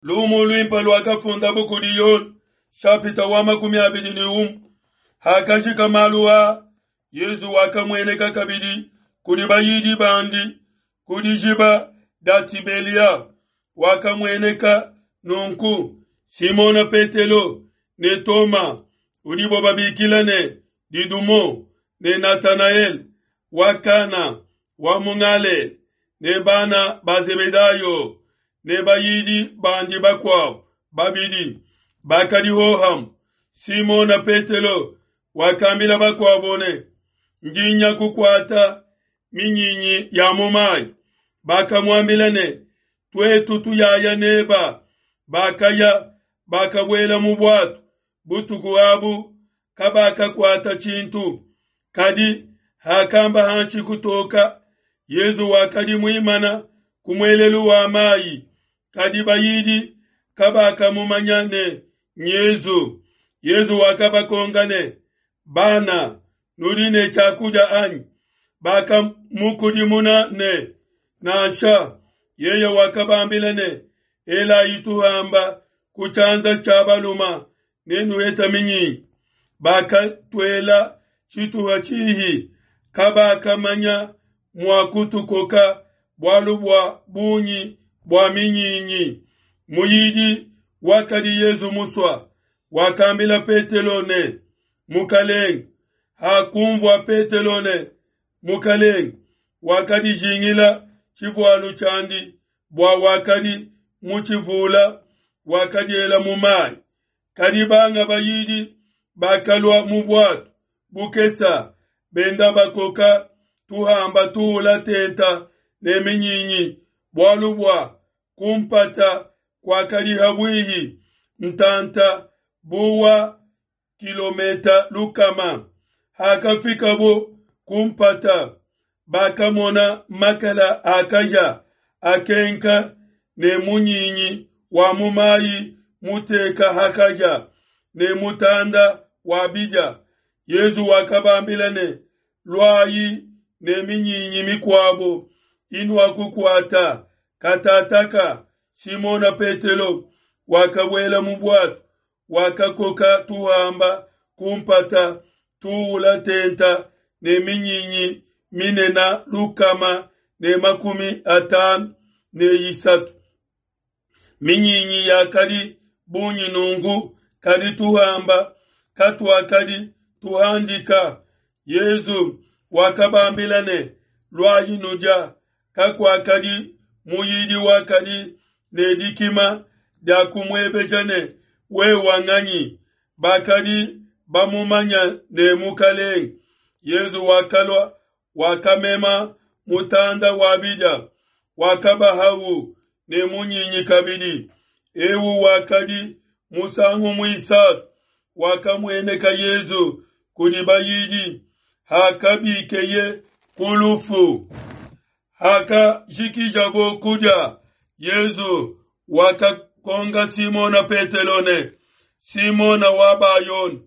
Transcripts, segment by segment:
Lumu luimpe luakafundabu kudi Yone, shapita wa 21. Hakajika malu aa, Yezu wakamueneka kabidi kudi bayidi bandi ku dijiba dia Tibelia. Wakamueneka nunku Simona Petelo ne Toma udibo babikila ne Didumo ne Natanaele wa Kana wa mu Galela ne bana ba Zebedayo ne bayidi bandi bakuabo babidi bakadi hohamue. Simona Petelo wakambila bakuabo ne, Ndi nya kukuata minyinyi ya mu mayi. Bakamuambila ne, Tuetu tuyaya neba. Bakaya, bakabuela mu buatu. Butuku abu kabakakuata tshintu. Kadi hakamba hanshi kutoka, Yezu wakadi muimana ku muelelu wa mayi, kadi bayidi kabakamumanya ne nYezu. Yezu wakabakonka ne, Bana, nudi ne tshiakudia anyi? Bakamukudimuna ne, Nansha. Yeye wakabambila ne, Elayi tuhamba ku tshianza tshia baluma, nenuheta minyinyi. Bakatuela tshituha tshihi, kabakamanya mua kutukoka bualu bua bungi bua minyinyi. Muyidi wakadi Yezu musua wakambila Petelo ne, Mukalenge. Hakunvua Petelo ne, Mukalenge, wakadijingila tshivualu tshiandi, bua wakadi mutshivula, wakadiela mu mayi. Kadi banga bayidi bakalua mu buatu bukesa, benda bakoka tuhamba tuula tenta ne minyinyi, bualu bua kumpata kuakadi habuihi ntanta bu wa kilometa lukama. Hakafikabo ku mpata, bakamona makala a kahia akenka ne munyinyi wa mu mayi muteka ha kahia ne mutanda wa bidia. Yezu wakabambila ne, Luayi ne minyinyi mikuabo inuakukuata. Katataka Simona Petelo wakabuela mu buatu, wakakoka tuhamba ku mpata tuula tenta ne minyinyi minena 153. Minyinyi yakadi bungi nunku, kadi tuhamba katuakadi tuhandika. Yezu wakabambila ne, Luayi nudia. Kakuakadi muyidi wakadi ne dikima dia kumuebeja ne, Wewa nganyi? Bakadi bamumanya ne Mukalenge. Yezu wakalua, wakamema mutanda wa bidia, wakabahawu ne munyinyi kabidi. Eu wakadi musangu muisatu wakamueneka Yezu kudi bayidi hakabikeye ku lufu. Hakajikijabo kudia, Yezu wakakonka Simona Petelo ne, Simona wa Bayona,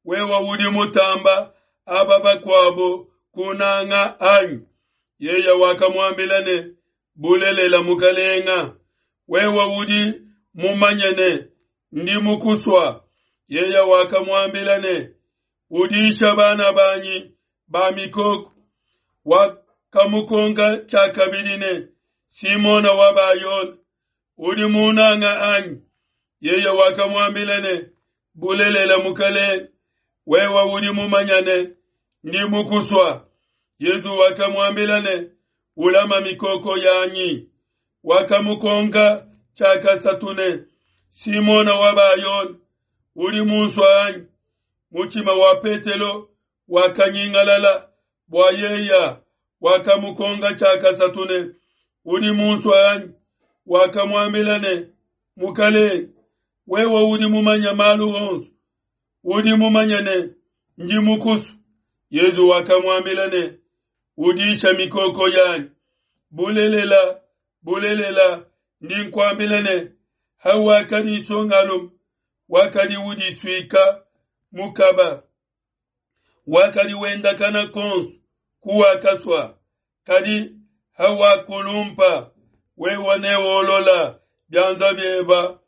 wewe udi mutamba aba bakuabo kunanga anyi? Yeye wakamuambila ne, Bulelela Mukalenga, wewe udi mumanye ne, ndi mukusua. Yeye wakamuambila ne, Udisha bana banyi ba mikoko. Wakamukonka tshiakabidi ne, Simona wa Bayona, udi munanga anyi? Yeye wakamuambila ne, Bulelela Mukalenge, wewe udi mumanya ne, ndi mukusua. Yezu wakamuambila ne, Ulama mikoko yanyi. Wakamukonka tshiakasatu ne, Simona wa Bayona, udi munsua anyi? Mutshima wa Petelo wakanyingalala bua yeya wakamukonka tshiakasatu ne, Udi munsua anyi? Wakamuambila ne, Mukalenge, wewe udi mumanya malu onso, udi mumanye ne, ndi mukusua. Yezu wakamuambila ne, Udisha mikoko yanyi. Bulelela, bulelela, ndi nkuambila ne, hawakadi nsongalume, wakadi udisuika mukaba, wakadi wendakana konso kuwakasua, kadi hawakulumpa, wewe neolola bianza bieba,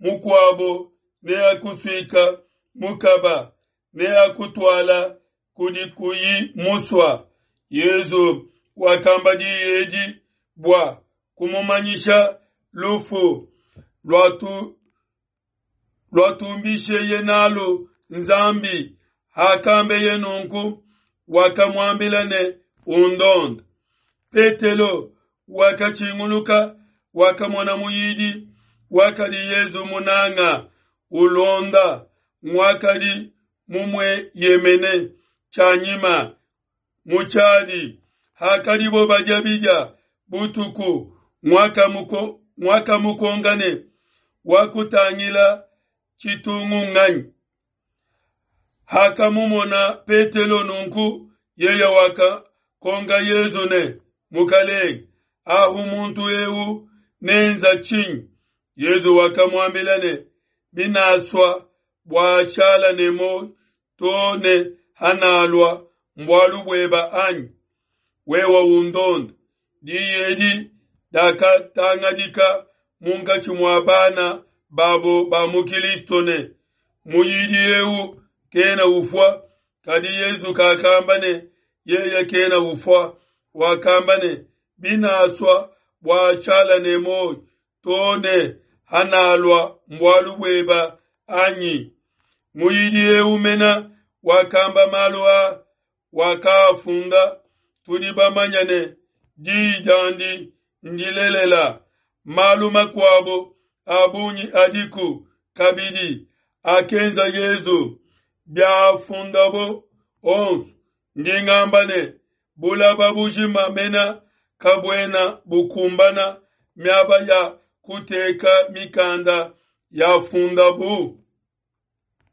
Mukuabo neakusuika mukaba, neakutuala kudi kuyi musua. Yezu wakamba diyi edi bua kumumanyisha lufu luatu luatumbisheye nalu Nzambi. Hakambeye nunku, wakamuambila ne, Undonde. Petelo wakatshinguluka, wakamona muyidi wakadi Yezu munanga ulonda, nguakadi mumueyemene tshianyima mu tshiadi hakadibo badia bidia butuku, nguakamukonka ne, Wakutangila tshitungu nganyi? Hakamumona Petelo nunku, yeye wakakonka Yezu ne, Mukalenge, ahu muntu eu nenza tshinyi? Yezu wakamuambila ne, Binasua bua ashala ne muoyo to ne hanalua, mbualu bueba anyi? Wewe undonde. Diyi edi dakatangadika munkatshi mua bana babo ba mu Kilisto ne, Muyidi eu kena ufua. Kadi Yezu kakamba ne, Yeye kena ufua, wakamba ne, Binasua bua ashala ne muoyo to ne hanalua, mbualu bueba anyi? Muyidi eu mena wakamba malu a wakaafunda. Tudi bamanye ne, diyi diandi ndilelela. Malu makuabo a bungi adiku kabidi akenza Yezu, biafundabo onso, ndi ngamba ne, bulaba bujima mena kabuena bukumbana miaba ya kuteka mikanda yafundabu.